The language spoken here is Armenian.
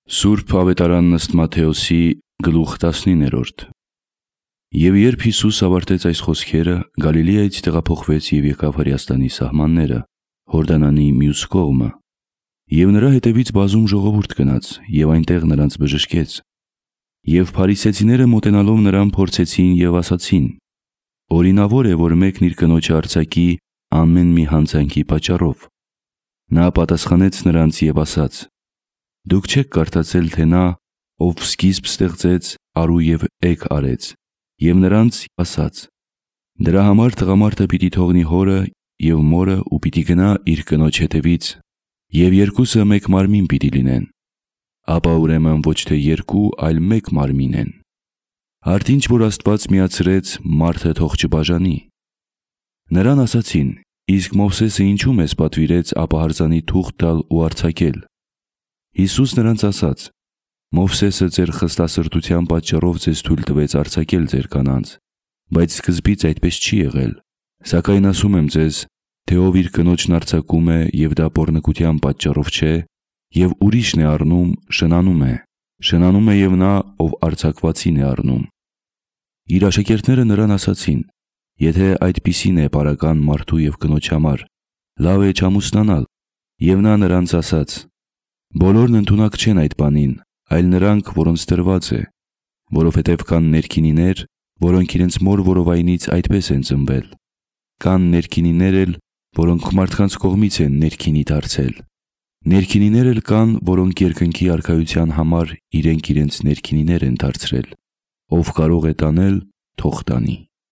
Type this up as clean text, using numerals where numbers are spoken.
Սուրբ Ավետարանն ըստ Մատթեոսի գլուխ 19։ Եվ երբ Հիսուս ավարտեց այս խոսքերը, Գալիլեայից տեղափոխվեց և եկավ Հրեաստանի սահմանները, Հորդանանի մյուս կողմը։ Եվ նրա հետևից բազում ժողովուրդ գնաց, և այնտեղ նրանց բժշկեց։ Եվ փարիսեցիները մոտենալով նրան փորձեցին և ասացին. «Օրինավոր է, որ մեկն իր կնոջը արձակի ամեն մի հանցանքի պատճառով»։ Նա պատասխանեց նրանց և ասաց. «Դուք չեք կարդացել, թե նա, ով սկիզբ ստեղծեց, արու և էգ արեց, և նրանց ասաց. դրա համար տղամարդը պիտի թողնի հորը և մորը ու պիտի գնա իր կնոջ հետևից, և երկուսը մեկ մարմին պիտի լինեն։ Ապա ուրեմն ոչ թե երկու, այլ մեկ մարմին են։ Արդ ինչ որ Աստված միացրեց, մարդը թող չբաժանի»։ Նրան ասացին. «Իսկ Մովսեսը ինչու մեզ պատվիրեց ապահարզանի թուղթ տալ ու արձակել»։ Հիսուս նրանց ասաց. «Մովսեսը ձեր խստասրտության պատճառով ձեզ թույլ տվեց արձակել ձեր կանանց, բայց սկզբից այդպես չի եղել։ Սակայն ասում եմ ձեզ, թե ով իր կնոջն արձակում է, և դա պոռնկության պատճառով չէ, և ուրիշն է առնում, շնանում է և նա, ով արձակվածին է առնում»։ Իր աշակերտները նրան ասացին. «Եթե այդպիսին է պարական մարդու և կնոջ համար, լավ է չամուսնանալ»։ Եվ նա նրանց ասաց. «Բոլորն ընդունակ չեն այդ բանին, այլ նրանք, որոնց տրված է, որովհետև կան ներքինիներ, որոնք իրենց մոր որովայնից այդպես են ծնվել. կան ներքինիներ էլ, որոնք մարդկանց կողմից են ներքինի դարձել. ներքինիներ էլ կան, որոնք երկնքի արքայության համար իրենք իրենց ներքինիներ են դարձրել։ Ով կարող է տանել, թող տանի»։